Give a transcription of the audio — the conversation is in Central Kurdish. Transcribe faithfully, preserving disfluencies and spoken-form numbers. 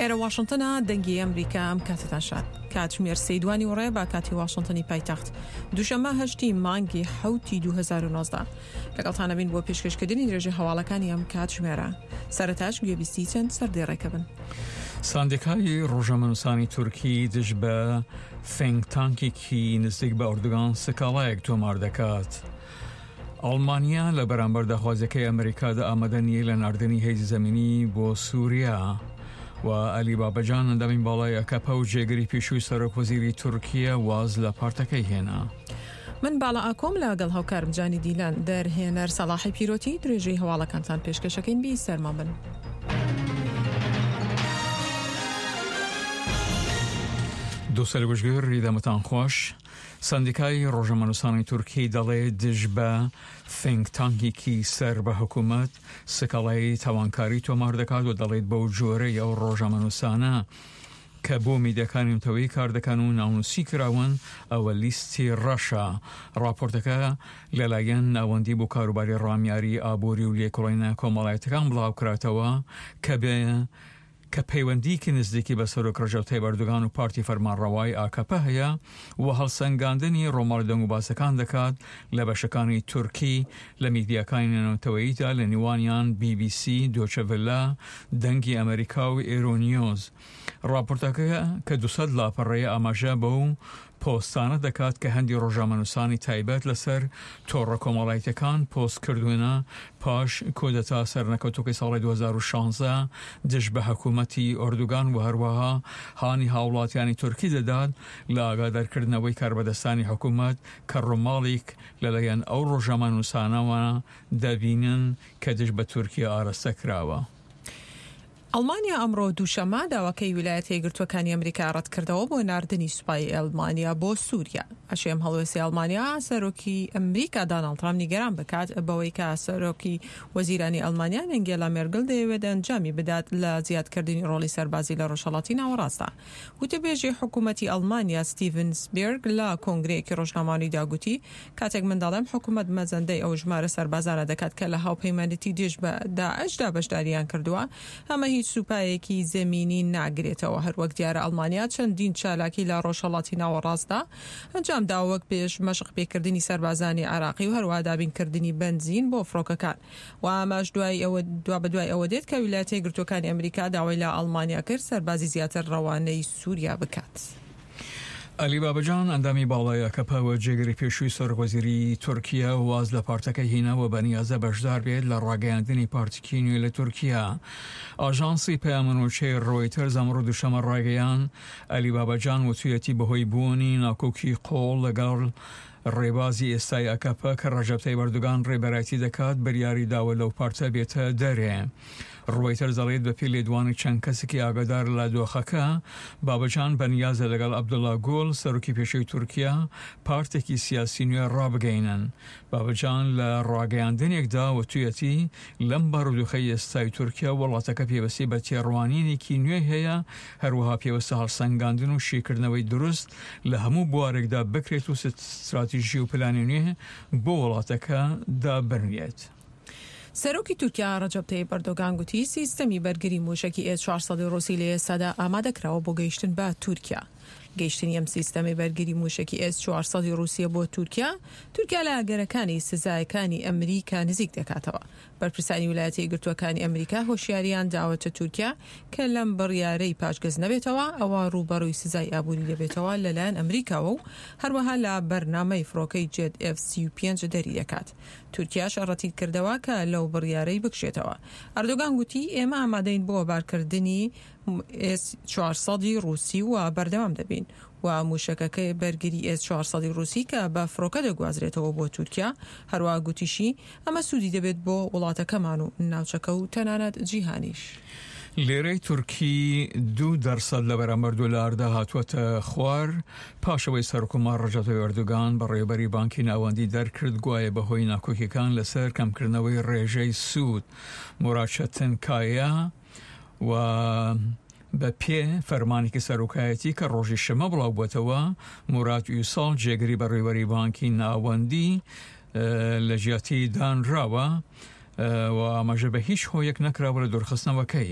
ئێرە واشنتنە، دەنگی ئەمریکا. ئەم کاتتان شاد. کاتژمێر سێی دوانی وڕێ بە کاتی واشنتنی پایتەخت، دووشەممە هەشتی مانگی حەوتی دوو هەزار و نۆزدە. لەگەڵتانە بین بۆ پێشکەشکردنی درێژەی هەواڵەکانی ئەم کاتژمێرە. سەرەتاش گوێبیستی چەند سەردێڕێکە بن. ساندیکای ڕۆژنامەنووسانی تورکی دژ بە ثینک تانکێکی نزیک بە ئۆردوگان سکاڵایەک تۆمار دەکات. ئەڵمانیا لە بەرامبەر داخوازیەکەی ئەمریکادا ئامادە نییە لە ناردنی هێزی زەمینی بۆ سووریا. و عەلی بابەجان ئەندامی باڵای ئەکەپە و جێگری پێشووی سەرۆک وەزیری تورکیا واز لە پارتەکەی هێنا. من باڵا ئاکۆم لەگەڵ هاوکارم جانی دیلان، دەرهێنەر سەڵاحی پیرۆتی، درێژەی هەواڵەکانتان پێشکەشەکەین. بی سەرمان بن. دووسەر گوشگر دەمتان خۆش. سندیکای ڕۆژنامەنووسانی تورکی دەڵێ دژ بە ثینک تانکێکی سەر بە حکوومەت سکاڵای تاوانکاری تۆمار دەکات و دەڵێت بەو جۆرەی ئەو ڕۆژنامەنووسانە کە بۆ میدیاکانی نەتەوەیی کار دەکەن و ناونووسی کراون ئەوە لیستی ڕەشە. ڕاپۆرتەکە لەلایەن ناوەندی بۆ کاروباری ڕامیاری ئابووری و لێکۆڵینە کۆمەڵایەتەکان بڵاوکراتەوە کە بێ کە پەیوەندیکی نزیکی بە سەرۆک ڕەجەب تەیب ئەردۆگان و پارتی فەرمانڕەوای ئاکەپە هەیە و هەڵسەنگاندنی ڕۆماڵی دەنگوباسەکان دەکات لە بەشەکانی تورکی لە میدیاکانی نێونەتەوەییدا لە نێوانیان بی بی سی، دۆچەڤلە، دەنگی ئەمریکا و ئێرۆنیۆز. ڕاپۆرتەکە کە دوو سەد لاپەڕەیە ئاماژە بەو پۆستانە دەکات کە هەندی ڕۆژنامەنووسانی تایبەت لەسەر تۆڕە کۆمەڵایەتیەکان پۆست کردوونە پاش کودەتا سەرنەکەوتووەکەی ساڵی دوو هەزار و شازدە دژ بە حکوومەتی ئۆردوگان و هەروەها هانی هاوڵاتیانی تورکی دەدات لە ئاگادارکردنەوەی کاربەدەستانی حکوومەت کە ڕووماڵیک لەلایەن ئەو ڕۆژنامەنووسانەوە دەبینن کە دژ بە تورکیا ئاراستە کراوە. ئەڵمانیا ئەمڕۆ دووشەممە داواکەی ویلایەتە یەکگرتووەکانی ئەمریکا ڕەتکردەوە بۆ ناردنی سوپای ئەڵمانیا بۆ سووریا. ئەشێ ئەم هەڵوێستەی ئەڵمانیا سەرۆکی ئەمریکا داناڵد ترامپ نیگەران بکات بەوەی کە سەرۆکی وەزیرانی ئەڵمانیا ئەنگێلا مێرگل دەیەوێت ئەنجامی بدات لە زیادکردنی ڕۆڵی سەربازی لە ڕۆژهەڵاتی ناوەڕاستدا. وتەبێژی حکوومەتی ئەڵمانیا ستیڤن سبێرگ لە کۆنگرەیەکی ڕۆژنامەوانیدا گوتی کاتێک من دەڵێم حکوومەت مەزەندەی ئەو ژمارە سەربازانە دەکات کە لە هاوپەیمانێتی دژ بە داعشدا بەشداریان کردووە، ئەمە هیچ سوپایەکی زەمینی ناگرێتەوە. هەروەک دیارە ئەڵمانیا چەندین چالاکی لە ڕۆژهەڵاتی ناوەڕاستدا ئەنجام داوە وەک پێش مەشق پێکردنی سەربازانی عێراقی و هەروەها دابینکردنی بەنزین بۆ فڕۆکەکان و ئەمەش دوای ئەوە دوابەدوای ئەوە دێت کە ویلایەتە یەکگرتووەکانی ئەمریکا داوای لە ئەڵمانیا کرد سەربازی زیاتر ڕەوانەی سووریا بکات. عەلی بابەجان ئەندامی باڵای ئەکەپە و جێگری پێشووی سەرۆکوەزیری تورکیا واز لە پارتەکەی هینا و بەنیازە بەشدار بێت لە ڕاگەیاندنی پارتیکی نوێ لە تورکیا. ئاژانسی پەیامنوچەی ڕۆیتەرز ئەمڕۆ دووشەممە ڕایگەیاند، عەلی بابەجان وتویەتی بەهۆی بوونی ناکۆکی قووڵ لەگەڵ ڕێبازی ئێستای ئەکەپە کە ڕەجەب تەیب ئەردۆگان ڕێبەرایەتی دەکات بریاری داوە لەو پارتە بێتە دەرێ. ڕۆیتەرز دەڵێت بەپێی لێدوانی چەند کەسێکی ئاگادار لە دۆخەکە، بابەجان بەنیازە لەگەڵ عەبدوڵا گول، سەرۆکی پێشووی تورکیا، پارتێکی سیاسی نوێ ڕابگەینن. بابەجان لە ڕاگەیاندنێکدا وتویەتی، لەم بارودۆخەی ئێستای تورکیا، وڵاتەکە پێویستی بە تێڕوانینێکی نوێ هەیە، هەروەها پێویستە هەڵسەنگاندن و شیکردنەوەی دروست لە هەموو بوارێکدا بکرێت و ستراتیژی و پلانی نوێ بۆ وڵاتەکە دابنرێت. سەرۆکی تورکیا ڕەجەب تەیب ئەردۆگان گوتی سیستەمی بەرگری مووشەکی ئێس چوار سەد ڕووسی لە ئێستادا ئامادەکراوە بۆ گەیشتن بە تورکیا. گەیشتنی ئەم سیستەمی بەرگری مووشەکی ئێس چوار سەد ڕووسیە بۆ تورکیا، تورکیا لە ئەگەرەکانی سزایەکانی ئەمریکا نزیک دەکاتەوە. بەرپرسانی ویلایەتە یەکگرتووەکانی ئەمریکا هۆشیاریان داوەتە تورکیا کە لەم بڕیارەی پاشگەز نەبێتەوە، ئەوا ڕووبەڕووی سزای ئابووری دەبێتەوە لەلایەن ئەمریکاوە و هەروەها لە بەرنامەی فڕۆکەی جێت ئێف سی و پێنج دەری دەکات. تورکیاش ڕەتیکردەوە کە لەو بڕیارەی بکشێتەوە. ئەردۆگان گوتی ئێمە ئامادەین بۆ بارکردنی ئێس چوار سەد ی ڕووسی و بەردەوام دەبین و مووشەکەکەی بەرگری ئێس چوار سەد ی ڕووسی کە بە فڕۆکە دەگوازرێتەوە بۆ تورکیا. هەروەها گوتیشی ئەمە سوودی دەبێت بۆ وڵاتەکەمان و ناوچەکە و تەنانەت جیهانیش. لیرەی تورکی دوو دەرسەد لە بەرامبەر دۆلاردا هاتووەتە خوار، پاش ئەوەی سەرۆککۆمار ڕەجەب تەیب ئەردۆگان بەڕێوەبەری بانکی ناوەندی دەرکرد گوایە بەهۆی ناکۆکیەکان لەسەر کەمکردنەوەی ڕێژەی سوود موراد چەتنکایا و بە پێ فەرمانێکی سەرۆکایەتی کە ڕۆژی شەمە بڵاوبووەتەوە موراد ئویساڵ جێگری بەڕێوەبەری بانکی ناوەندی لە جیاتی دانراوە و ئاماژە بە هیچ هۆیەک نەکراوە لە دوورخستنەوەکەی.